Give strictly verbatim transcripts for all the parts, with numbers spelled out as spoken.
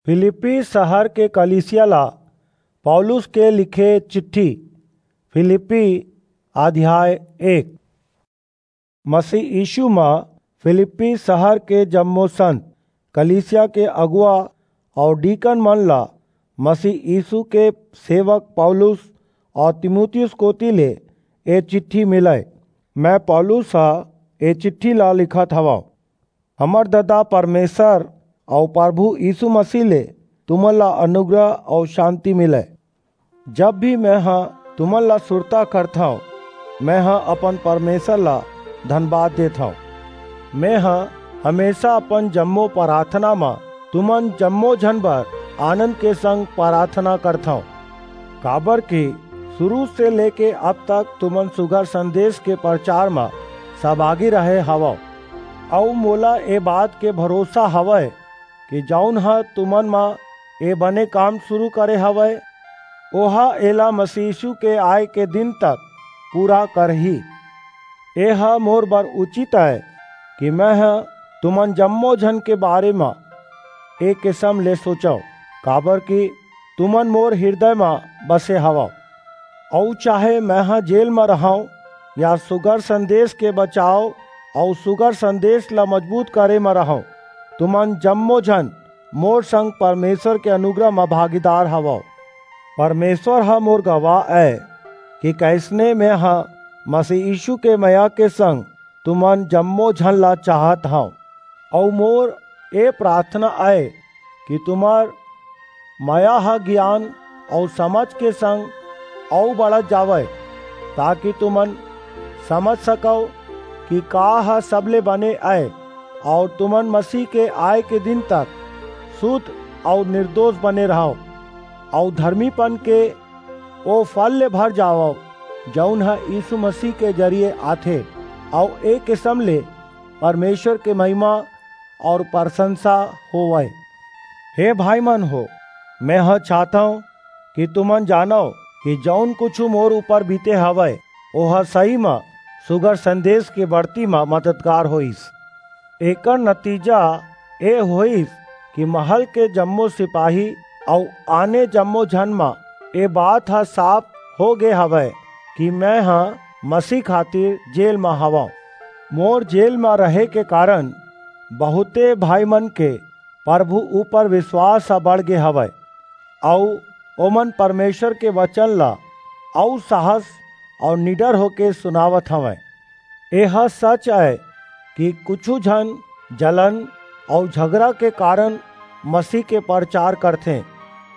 फिलिप्पी सहर के कलीसिया ला पौलुस के लिखे चिट्ठी। फिलिप्पी अध्याय एक। मसीह यीशु म फिलिप्पी सहर के जम्मो संत, कलीसिया के अगुवा अऊ डीकन मन ला मसीह यीशु के सेवक पौलुस अऊ तीमुथियुस कोति ले ए चिट्ठी मिलय। मैं पौलुस ह ए चिट्ठी ला लिखत हवंव। हमर ददा परमेसर अऊ परभू यीसू मसीह ले तुमन ला अनुग्रह अऊ सांति मिलय। जब भी मेंह तुमन ला सुरता करथंव, मेंह अपन परमेसर ला धनबाद देथंव। मेंह हमेसा अपन जम्मो पराथना म तुमन जम्मो झन बर आनंद के संग पराथना करथंव, काबरकि सुरू से लेके अब तक तुमन सुघर संदेस के परचार म सहभागी रहे हवव। अऊ मोला ए बात के भरोसा हवय कि जऊन ह तुमन म ए बने काम सुरू करे हवय, ओह एला मसीह यीसू के आय के दिन तक पूरा करही। एह मोर बर उचित अय कि मेंह तुमन जम्मो झन के बारे म ए किसम ले सोचंव, काबरकि तुमन मोर हिरदय म बसे हवव। अऊ चाहे मेंह जेल म रहंव या सुघर संदेस के बचाव अऊ सुघर संदेस ला मजबूत करे म रहंव, तुमन जम्मो झन मोर संग परमेसर के अनुग्रह म भागीदार हवव। परमेसर ह मोर गवाह अय कि कइसने मेंह मसीह यीसू के मया के संग तुमन जम्मो झन ला चाहत हंव। अऊ मोर ए पराथना अय कि तुम्हर मया ह गियान अऊ समझ के संग अऊ बढ़त जावय, ताकि तुमन समझ सकव कि का ह सबले बने अय, अऊ तुमन मसीह के आय के दिन तक सुध अऊ निरदोस बने रहव, अऊ धरमीपन के ओ फल ले भर जावव, जऊन ह यीसू मसीह के जरिये आथे, अऊ ए किसम ले परमेसर के महिमा अऊ परसंसा होवय। हे भाईमन हो, मेंह चाहथंव कि तुमन जानव कि जऊन कुछू मोर ऊपर बीते हवय, ओह सही म सुघर संदेस के बढ़ती म मददगार होईस। एकर नतीजा ए होईस कि महल के जम्मो सिपाही अऊ आने जम्मो झन म ए बात ह साफ हो गे हवय कि मेंह मसीह खातिर जेल म हवंव। मोर जेल म रहे के कारन बहुंते भाईमन के परभू ऊपर बिसवास ह बढ़ गे हवय, अऊ ओमन परमेसर के बचन ला अऊ साहस अऊ निडर होके सुनावत हवंय। एह सच अय कि कुछू झन जलन अऊ झगरा के कारन मसीह के परचार करथें,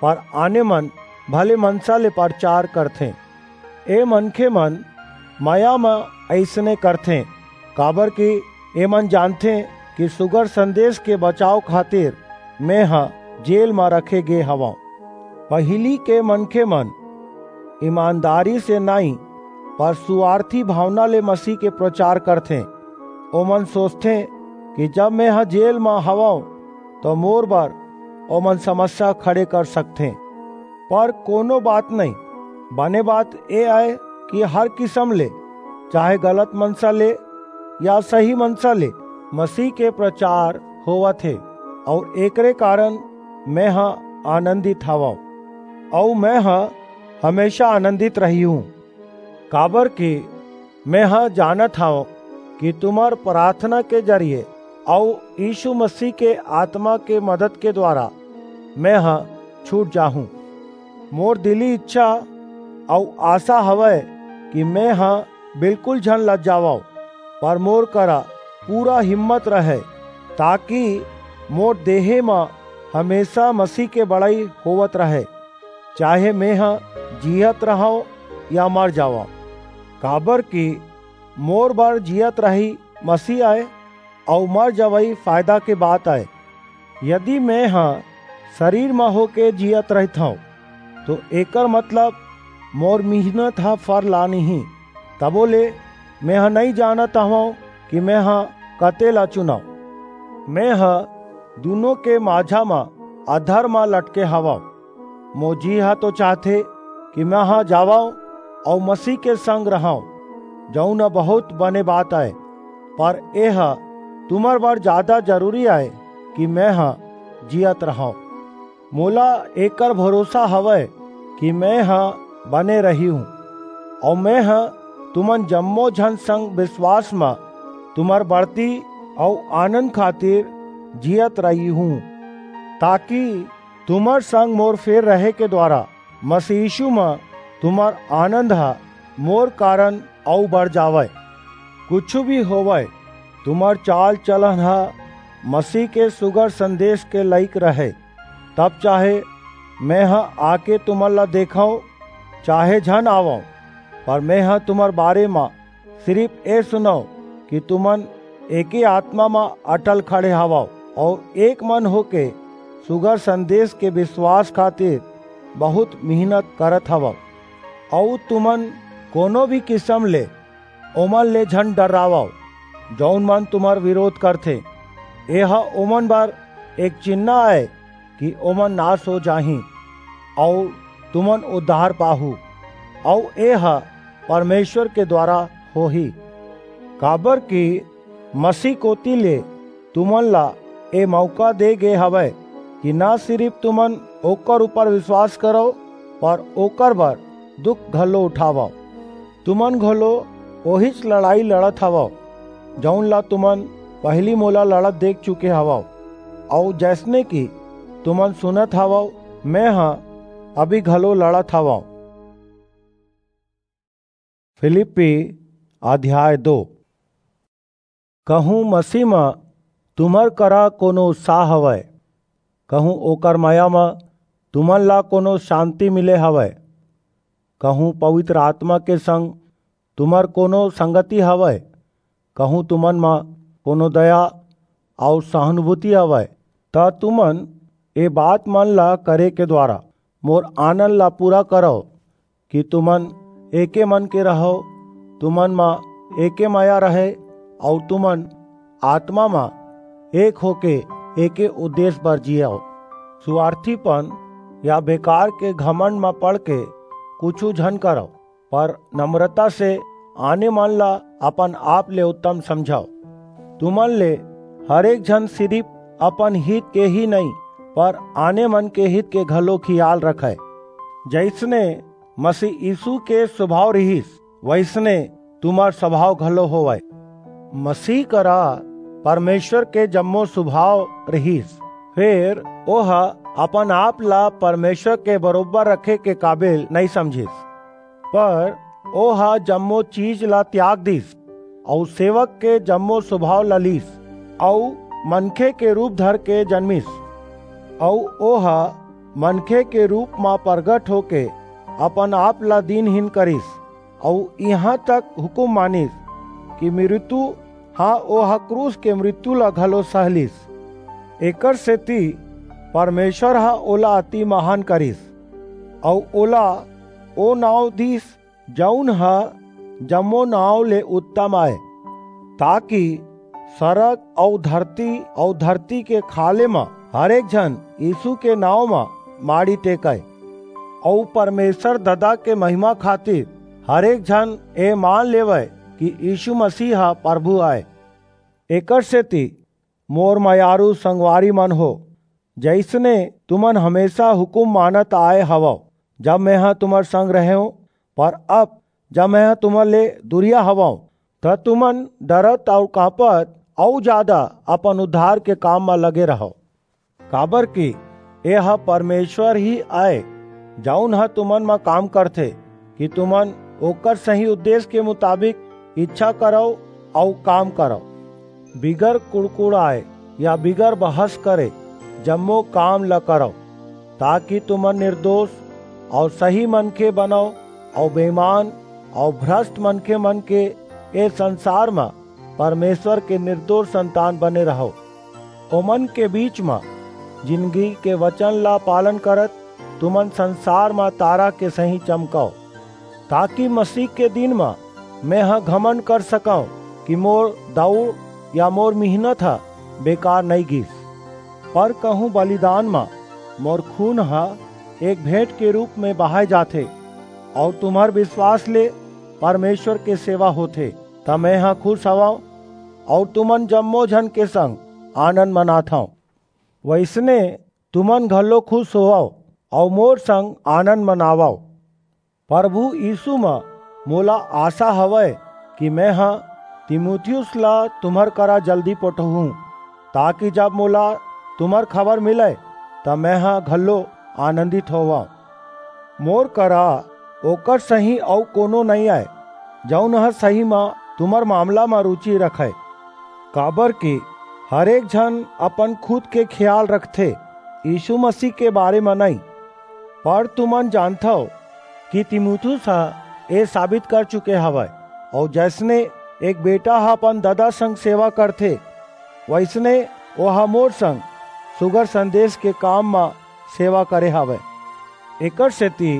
पर आने मन भले मनसा ले परचार करथें। ए मनखेमन मया म अइसने करथें, काबरकि एमन जानथें कि सुघर संदेस के बचाव खातिर मेंह जेल म रखे गे हवंव। पहिली के मनखेमन ईमानदारी से नइं, पर सुवारथी भावना ले मसीह के परचार करथें। ओमन सोचथें कि जब मेंह जेल म हवंव, त मोर बर ओमन समस्या खड़े कर सकथें। पर कोनो बात नइं, बने बात ए अय कि हर किसम ले, चाहे गलत मनसा ले या सही मनसा ले, मसीह के परचार होवत हे, अऊ एकरे कारन मेंह आनंदित हवंव, अऊ मेंह हमेसा आनंदित रहिहूं, काबरकि मेंह जानत हंव कि तुम्हर पराथना के जरिये अऊ यीसू मसीह के आतमा के मदद के दुवारा मेंह छूट जाहूं। मोर दिली ईछा अऊ आसा हवय कि मेंह बिलकुल झन लजावंव, पर मोर करा पूरा हिम्मत रहय, ताकि मोर देहे म हमेसा मसीह के बड़ई होवत रहय, चाहे मेंह जीयत रहंव या मर जावंव। काबरकि मोर बर जीयत रही मसीह अय, अऊ मर जवई फायदा के बात अय। यदि मेंह सरीर म होके जीयत रहिथंव, तो एकर मतलब मोर मिहनत ह फर लानिही। तभो ले मेंह नइं जानत हवंव कि मेंह कते ला चुनंव। मेंह दूनों के माझा म अधर म लटके हवंव। मोर जी ह तो चाहथे कि मेंह जावंव अऊ मसीह के संग रहंव, जऊन ह बहुंत बने बात अय, पर एह तुम्हर बर जादा जरूरी अय कि मेंह जीयत रहंव। मोला एकर भरोसा हवय कि मेंह बने रहिहूं, अऊ मेंह तुमन जम्मो झन संग बिसवास म तुम्हर बढ़ती अऊ आनंद खातिर जीयत रहिहूं, ताकि तुम्हर संग मोर फेर रहे के दुवारा मसीह यीशु म तुम्हर आनंद ह मोर कारन अऊ बढ़ जावय। कुछू भी होवय, तुम्हर चाल-चलन ह मसीह के सुघर संदेस के लइक रहय। तब चाहे मेंह आके तुमन ला देखंव, चाहे झन आवंव, पर मेंह तुम्हर बारे म सिरिप ए सुनंव कि तुमन एके आतमा म अटल खड़े हवव अऊ एक मन होके सुघर संदेस के बिसवास खातिर बहुंत मिहनत करत हवव। अऊ तुमन कोनो भी किसम ले ओमन ले झन डर्रावव, जऊन मन तुम्हर बिरोध करथें। एह ओमन बर एक चिन्हा अय कि ओमन नास हो जाहीं, अऊ तुमन उद्धार पाहू, अऊ एह परमेसर के दुवारा होही। काबरकि मसीह कोति ले तुमन ला ए मऊका दे गे हवय कि न सिरिप तुमन ओकर ऊपर बिसवास करव, पर ओकर बर दुख घलो उठावव। तुमन घलो ओहीच लड़ई लड़त हवव, जऊन ला तुमन पहिली मोला लड़त देख चुके हवव, अऊ जइसने कि तुमन सुनत हवव, मेंह अभी घलो लड़त हवंव। फिलिप्पी अध्याय दो। कहूं मसीह म तुम्हर करा कोनो उत्साह हवय, कहूं ओकर मया म तुमन ला कोनो सांति मिले हवय, कहूं पवित्र आतमा के संग तुम्हर कोनो संगति हवय, कहूं तुमन म कोनो दया अऊ सहानुभूति हवय, त तुमन ए बात मन ला करे के दुवारा मोर आनंद ला पूरा करव कि तुमन एके मन के रहव, तुमन म एके मया रहय, अऊ तुमन आतमा म एक होके एके उद्देस बर जीयव। सुवार्थीपन या बेकार के घमंड म पड़के कुछू झन करव, पर नम्रता से आने मन ला अपन आप ले उत्तम समझव। तुमन ले हरेक झन सिरिप अपन हित के ही नइं, पर आने मन के हित के घलो खियाल रखय। जइसने मसीह यीसू के सुभाव रिहिस, वइसने तुम्हर सुभाव घलो होवय। मसीह करा परमेसर के जम्मो सुभाव रिहिस, फेर ओह अपन आप ला परमेसर के बरोबर रखे के काबिल नइं समझिस, पर ओह जम्मो चीज ला त्याग दीस, अऊ सेवक के जम्मो सुभाव ला लीस, अऊ मनखे के रूप धरके जनमिस, अऊ ओह मनखे के रूप म परगट होके अपन आप ला दीनहीन करिस, अऊ इहां तक हुकूम मानिस कि मृत्यु ह ओह क्रूस के मृत्यु ला घलो सह लीस। एकरसेति परमेसर ह ओला अति महान करिस, अऊ ओला ओ नांव दीस, जऊन ह जम्मो नांव ले उत्तम अय, ताकि सरग अऊ धरती अऊ धरती के खाल्हे म हरेक झन यीसू के नांव म माड़ी टेकय, अऊ परमेसर ददा के महिमा खातिर हरेक झन ए मान लेवय कि यीसू मसीह ह परभू अय। एकरसेति मोर मयारू संगवारी मन हो, जइसने तुमन हमेसा हुकूम मानत आय हवव, जब मेंह तुम्हर संग रहेंव, पर अब जब मेंह तुम्हर ले दूरिहा हवंव, त तुमन डरत अऊ कांपत अऊ जादा अपन उद्धार के काम म लगे रहव। काबरकि एह परमेसर ही अय, जऊन ह तुमन म काम करथे, कि तुमन ओकर सही उद्देस के मुताबिक ईछा करव अऊ काम करव। बिगर कुड़कुड़ाय या बिगर बहस करे जम्मो काम ल करव, ताकि तुमन निरदोस अऊ सही मनखे बनव, अऊ बेईमान अऊ भ्रस्ट मनखे मन के ए संसार म परमेसर के निरदोस संतान बने रहव। ओमन के बीच म जिनगी के बचन ला पालन करत तुमन संसार म तारा के सहीं चमकव, ताकि मसीह के दिन म मेंह घमंड कर सकंव कि मोर दऊड़ या मोर मिहनत ह बेकार नइं गीस। पर कहूं बलिदान म मोर खून ह एक भेंट के रूप म बहाय जाथे, अऊ तुम्हर बिसवास ले परमेसर के सेवा होथे, त मेंह खुस हवंव, अऊ तुमन जम्मो झन के संग आनंद मनाथंव। वइसने तुमन घलो खुश होवव अऊ मोर संग आनंद मनावव। प्रभु यीशु म मोला आशा हवय कि मेंह तीमुथियुस ला तुम्हर करा जल्दी पठोहूं, ताकि जब मोला तुम्हर खबर मिलय, त मेंह घलो आनंदित होवंव। मोर करा ओकर सहीं अऊ कोनो नइं अय, जऊन ह सहीं म तुम्हर मामला म रुचि रखय। काबरकि हरेक झन अपन खुद के खियाल रखथे, यीशु मसीह के बारे म नइं। पर तुमन जानथव कि तीमुथियुस ह ए साबित कर चुके हवय, अऊ जइसने एक बेटा ह अपन ददा संग सेवा करथे, वइसने ओह मोर संग सुघर संदेस के काम म सेवा करे हवय। एकरसेति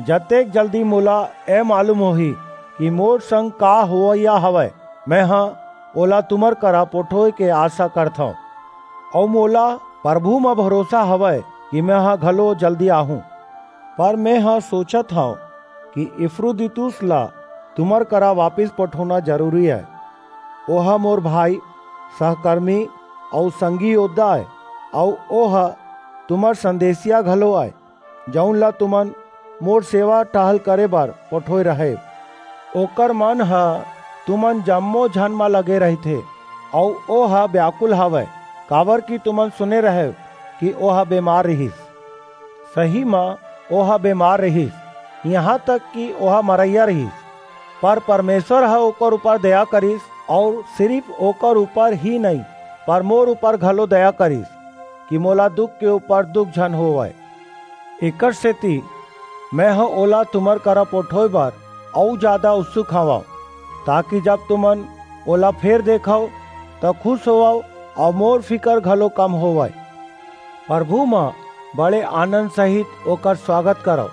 जतेक जल्दी मोला ए मालूम होही कि मोर संग का होवइया हवय, मेंह ओला तुम्हर करा पठोय के आशा करथंव। अऊ मोला प्रभु म भरोसा हवय कि मेंह घलो जल्दी आहूं। पर मेंह सोचत हंव कि इपफ्रोदीतुस ला तुम्हर करा वापिस पठोना जरूरी अय। ओह मोर भाई, सहकरमी अऊ संगी योद्धा अय, अऊ ओह तुम्हर संदेसिया घलो अय, जऊन ला तुमन मोर सेवा टहल करे बर पठोय रहेव। ओकर मन ह तुमन जम्मो झन म लगे रहिथे, अऊ ओह ब्याकुल हवय, काबरकि तुमन सुने रहेव कि ओह बेमार रिहिस। सही म ओह बेमार रिहिस, इहां तक कि ओह मरइया रिहिस, पर परमेसर ह ओकर ऊपर दया करिस, अऊ सिरिप ओकर ऊपर ही नइं, पर मोर ऊपर घलो दया करिस, कि मोला दुख के ऊपर दुख झन होवय। एकरसेति मेंह ओला तुम्हर करा पठोय बर अऊ जादा उत्सुक हवंव, ताकि जब तुमन ओला फेर देखव, त खुश होवव अऊ मोर फिकर घलो कम होवय। प्रभु म बड़े आनंद सहित ओकर सुवागत करव,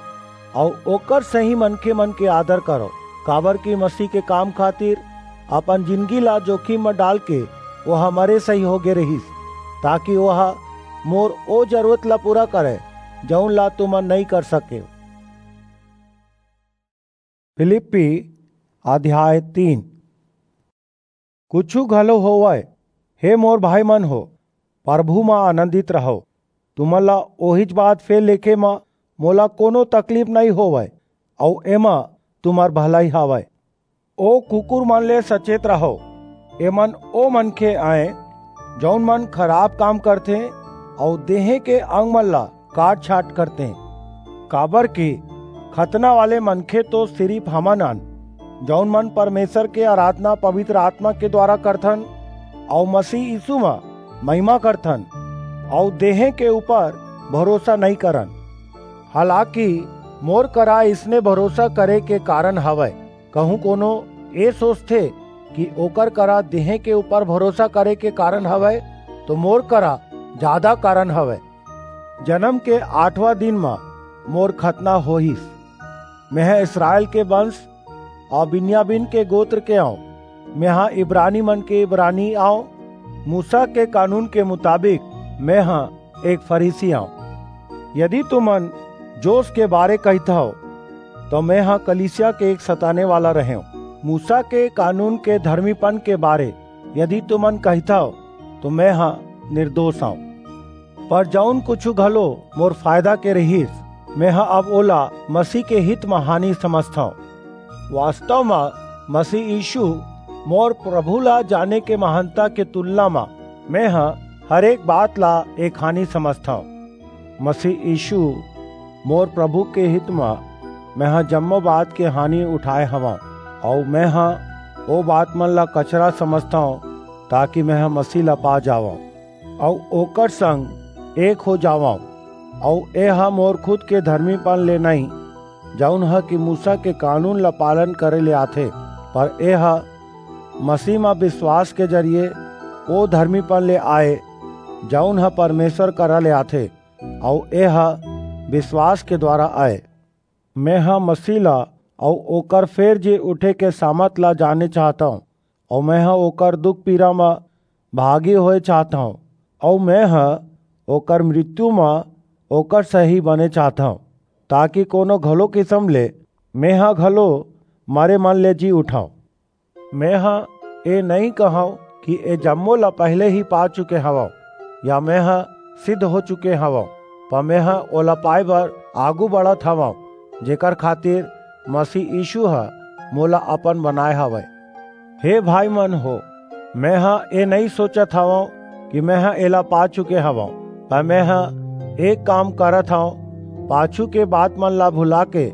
अऊ ओकर सहीं मनखेमन के आदर करव, काबरकि मसीह के काम खातिर अपन जिनगी ला जोखिम म डालके ओह मरे सहीं होगे रिहिस, ताकि ओह मोर ओ जरूरत ला पूरा करय, जऊन ला तुमन नइं कर सकेव। फिलिप्पी अध्याय तीन। कुछू घलो होवय, हे मोर भाईमन हो, प्रभु म आनंदित रहव। तुमन ला ओहीच बात फेर लिखे म मोला कोनो तकलीफ नइं होवय, अऊ एमा तुम्हर भलई हवय। ओ कुकुर मन ले सचेत रहव। एमन ओ मनखे अंय, जऊन मन खराप काम करथें अऊ देहें के अंग मन ला काट-छांट करथें। काबरकि खतना वाले मनखे तो सिरिप हमन अन, जऊन मन परमेसर के अराधना पबितर आतमा के दुवारा करथन अऊ मसीह यीसू म महिमा करथन अऊ देहें के ऊपर भरोसा नइं करन। हालाकि मोर करा अइसने भरोसा करे के कारन हवय। कहूं कोनो ए सोचथे कि ओकर करा देहें के ऊपर भरोसा करे के कारन हवय, तो मोर करा जादा कारन हवय। जनम के आठवां दिन म मोर खतना होईस। मेंह इसरायल के बंस अऊ बिन्यामीन के गोत्र के अंव। मेंह इब्रानी मन के इब्रानी अंव। मूसा के कानून के मुताबिक मेंह एक फरीसी अंव। यदि तुमन जोस के बारे कहिथव, तो मेंह कलीसिया के एक सताने वाला रहेंव। मूसा के कानून के धरमीपन के बारे यदि तुमन कहिथव, तो मेंह निरदोस अंव। पर जऊन कुछू घलो मोर फायदा के रिहिस, मेंह अब ओला मसीह के हित म हानि समझथंव। वास्तव म मसीह यीसू मोर प्रभु ला जाने के महानता के तुलना म मेंह हरेक बात ला एक हानि समझथंव। मसीह यीसू मोर प्रभु के हित म मेंह जम्मो बात के हानि उठाय हवंव, अऊ मेंह ओ बात मन ला कचरा समझथंव, ताकि मेंह मसीह ला पा जावंव अऊ ओकर संग एक हो जावंव। अऊ एह मोर खुद के धरमीपन ले नइं, जऊन ह कि मूसा के कानून ला पालन करे ले आथे, पर एह मसीह म बिसवास के जरिये ओ धरमीपन ले आय, जऊन ह परमेसर करा ले आथे, अऊ एह बिसवास के दुवारा अय। मेंह मसीह ला अऊ ओकर फेर जी उठे के सामत ला जाने चाहथंव, अऊ मेंह ओकर दुख-पीरा म भागी होय चाहथंव, अऊ मेंह ओकर मृत्यु म ओकर सहीं बने चाहथंव, ताकि कोनो घलो किसम ले मेंह घलो मरे मन ले जी उठंव। मेंह ए नइं कहंव कि ए जम्मो ला पहिली ही पा चुके हवंव, या मेंह सिद्ध हो चुके हवंव, पर मेंह ओला पाए बर आगू बढ़त हवंव, जेकर खातिर मसीह यीशु ह मोला अपन बनाए हवय। हे भाई मन हो, मेंह ए नइं सोचत हवंव कि मेंह एला पा चुके हवंव, पर मेंह एक काम करत हंव, पाछू के बात मन ला भुला के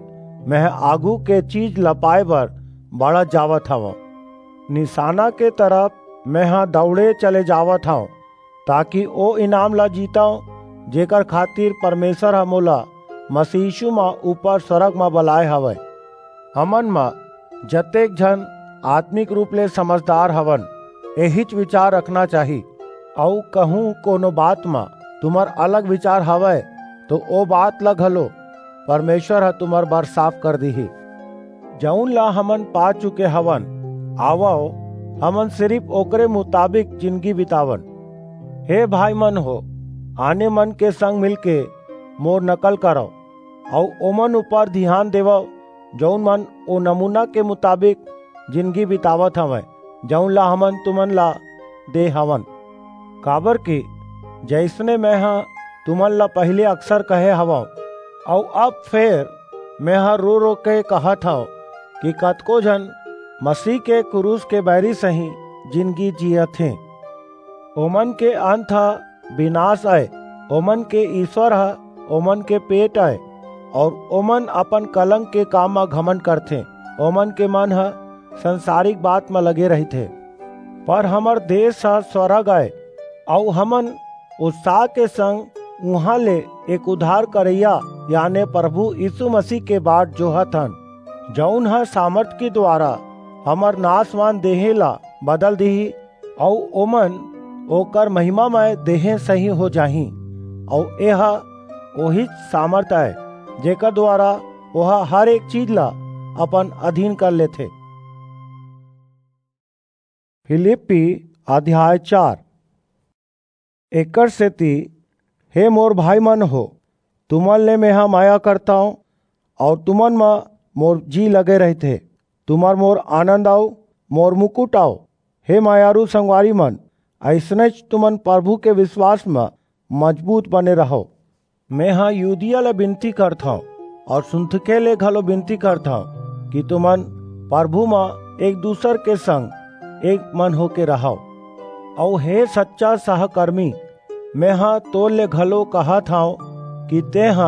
मेंह आगू के चीज ला पाए बर बढ़त जावत हवंव। निशाना के तरफ मेंह दौड़े चले जावत हंव, ताकि ओ इनाम ला जीतंव, जेकर खातिर परमेसर ह मोला मसीह यीशु म ऊपर स्वर्ग म बलाए हवय। हमन म जतेक झन आत्मिक रूप ले समझदार हवन, एहीच विचार रखना चाही। अऊ कहूं कोनो बात म तुम्हर अलग विचार हवय, तो ओ बात ल घलो परमेसर ह तुम्हर बर साफ कर दिही। जऊन ला हमन पा चुके हवन, आवव, हमन सिरिप ओकरे मुताबिक जिनगी बितावन। हे भाई मन हो, आने मन के संग मिलके मोर नकल करव, अऊ ओमन ऊपर धियान देवव, जऊन मन ओ नमूना के मुताबिक जिनगी बितावत हवंय, जऊन ला हमन तुमन ला दे हवन। काबरकि जइसने मेंह तुमन ला पहिली अक्सर कहे हवंव, अऊ अब फेर मेंह रो-रो के कहत हंव कि कतको झन मसीह के कुरूस के बैरी सहीं जिनगी जीयत हें। ओमन के अंत ह बिनास अय, ओमन के ईस्वर ह ओमन के पेट अय, अऊ ओमन अपन कलंक के काम म घमंड करथें। ओमन के मन ह संसारिक बात म लगे रहिथे, पर हमर देस ह स्वर्ग अय, अऊ हमन उत्साह के संग उहां ले एक उद्धार करइया, याने परभू यीसू मसीह के बाट जोहत हन, जऊन ह सामरथ के दुवारा हमर नासवान देहें ला बदल दिही, अऊ ओमन ओकर महिमामय देहें सहीं हो जाहीं। अऊ एह ओहीच सामरथ अय, जेकर दुवारा ओह हर एक चीज ला अपन अधीन कर लेथे। फिलिप्पी अध्याय चार। एकरसेति, हे मोर भाई मन हो, तुमन ले मेंह मया करथंव, अऊ तुमन म मोर जी लगे रहिथे। तुमन मोर आनंद अऊ मोर मुकुट अव। हे मयारू संगवारी मन, अइसनेच तुमन परभू के बिसवास म मजबूत बने रहव। मेंह यूदिया ले बिनती करथंव अऊ सुंथके ले घलो बिनती करथंव कि तुमन परभू म एक दूसर के संग एक मन होके रहव। अऊ हे सच्चा सहकरमी, मेंह तोर ले घलो कहत हंव कि तेंह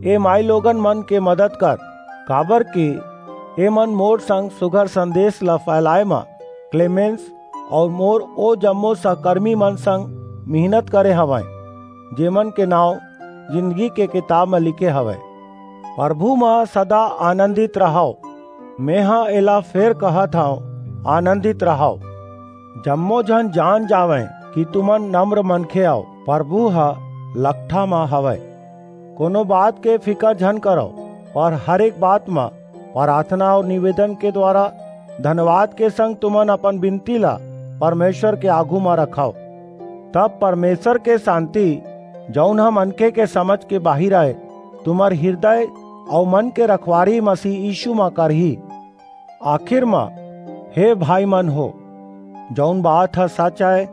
ए माईलोगन मन के मदद कर, काबरकि एमन मोर संग सुघर संदेस ला फैलाय म क्लेमेंस अऊ मोर ओ जम्मो सहकरमी मन संग मिहनत करे हवंय, जेमन के नांव जिनगी के किताब म लिखे हवय। परभू म सदा आनंदित रहव। मेंह एला फेर कहत हंव, आनंदित रहव। जम्मो झन जान जावंय कि तुमन नम्र मनखे अव, परभू ह लकठा म हवय। कोनो बात के फिकर झन करव, पर हर एक बात म पराथना अऊ निवेदन के दुवारा धनवाद के संग तुमन अपन बिनती ला परमेसर के आघू म रखव। तब परमेसर के सांति, जऊन ह मनखे के समझ के बाहिर अय, तुम्हर हिरदय अऊ मन के रखवारी मसीह यीसू म करही। आखिर म, हे भाई मन हो, जऊन बात ह सच अय,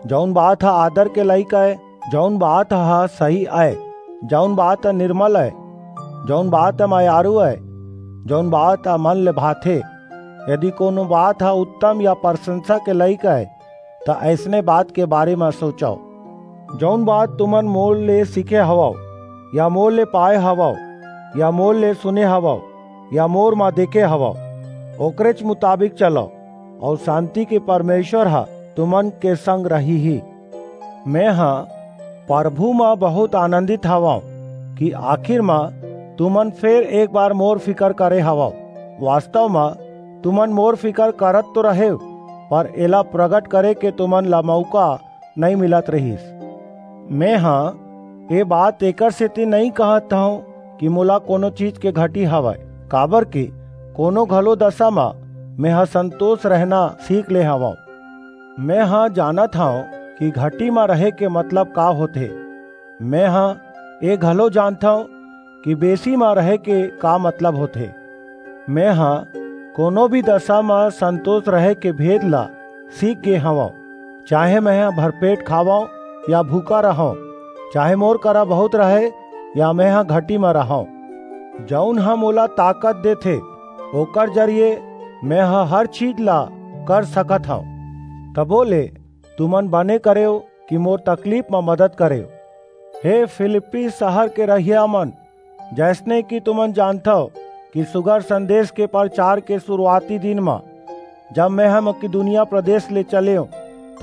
जऊन बात ह आदर के लइक अय, जऊन बात ह सही अय, जऊन बात ह निरमल अय, जऊन बात ह मयारू अय, जऊन बात ह मन ले भाथे, यदि कोनो बात ह उत्तम या परसंसा के लइक अय, त अइसने बात के बारे म सोचव। जऊन बात तुमन मोर ले सीखे हवव, या मोर ले पाय हवव, या मोर ले सुने हवव, या मोर म देखे हवव, ओकरेच मुताबिक चलव, अऊ सांति के परमेसर ह तुमन के संग रहिही। मेंह परभू म बहुंत आनंदित हवंव कि आखिर म तुमन फेर एक बार मोर फिकर करे हवव। वास्तव म तुमन मोर फिकर करत तो रहेव, पर एला प्रगट करे के तुमन ला मऊका नइं मिलत रिहिस। मेंह ए बात एकरसेति नइं कहत हंव कि मोला कोनो चीज के घटी हवय, काबरकि कोनो घलो दसा म मेंह संतोस रहना सीख ले हवंव। मेंह जानत हंव कि घटी म रहे के मतलब का होथे। मेंह ए घलो जानथंव कि बेसी म रहे के का मतलब होथे। मेंह कोनो भी दसा म संतोस रहे के भेद ला सीख गे हवंव, चाहे मेंह भरपेट खावंव या भूखा रहंव, चाहे मोर करा बहुत रहे या मेंह घटी म रहंव। जऊन ह मोला ताकत देथे, ओकर जरिये मेंह हर चीज ला कर सकत हंव। तभो ले तुमन बने करेव कि मोर तकलीफ म मदद करेव। हे फिलिप्पी सहर के रहइयामन, जइसने कि तुमन जानथव कि सुघर संदेस के परचार के सुरूवाती दिन म, जब मेंह मकिदुनिया प्रदेस ले चलेंव,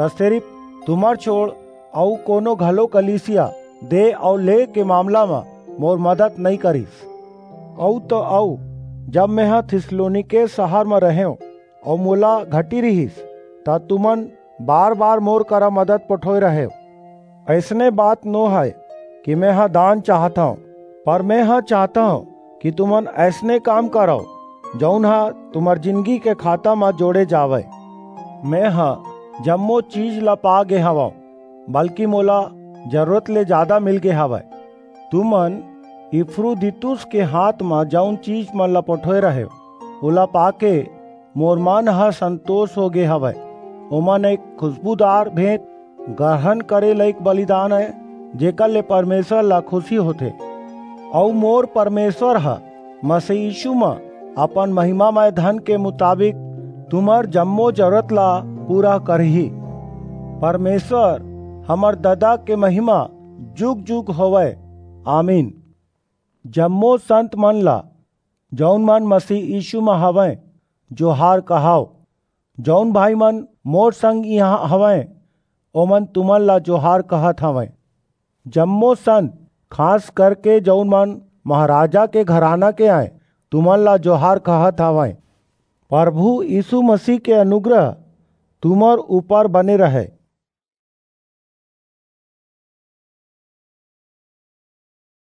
त सिरिप तुम्हर छोंड़ अऊ कोनो घलो कलीसिया देय अऊ लेय के मामला म मोर मदद नइं करिस। अऊ त अऊ, जब मेंह थिस्सलुनीके सहर म रहेंव अऊ मोला घटी रिहिस, त तुमन बार-बार मोर करा मदद पठोय रहेव। अइसने बात नो हय कि मेंह दान चाहत हंव, पर मेंह चाहत हंव कि तुमन अइसने काम करव, जऊन ह तुम्हर जिनगी के खाता म जोड़े जावय। मेंह जम्मो चीज ला पा गे हवंव, बल्कि मोला जरूरत ले जादा मिल गे हवय। तुमन इपफ्रोदीतुस के हांथ म जऊन चीजमन ला पठोय रहेव, ओला पाके मोर मन ह संतोस हो गे हवय। ओमन एक खुसबूदार भेंट, गरहन करे लइक बलिदान अय, जेकर ले परमेसर ला खुसी होथे। अऊ मोर परमेसर ह मसीह यीसू म अपन महिमामय धन के मुताबिक तुम्हर जम्मो जरूरत ला पूरा करही। परमेसर हमर ददा के महिमा जुग-जुग होवय। आमीन। जम्मो संतमन ला, जऊन मन मसीह यीसू म हवंय, जोहार कहव। जऊन भाईमन मोर संग इहां हवंय, ओमन तुमन ला जोहार कहत हवंय। जम्मो संत, खास करके जऊन मन महाराजा के घराना के अंय, तुमन ला जोहार कहत हवंय। परभू यीसू मसीह के अनुग्रह तुम्हर ऊपर बने रहय।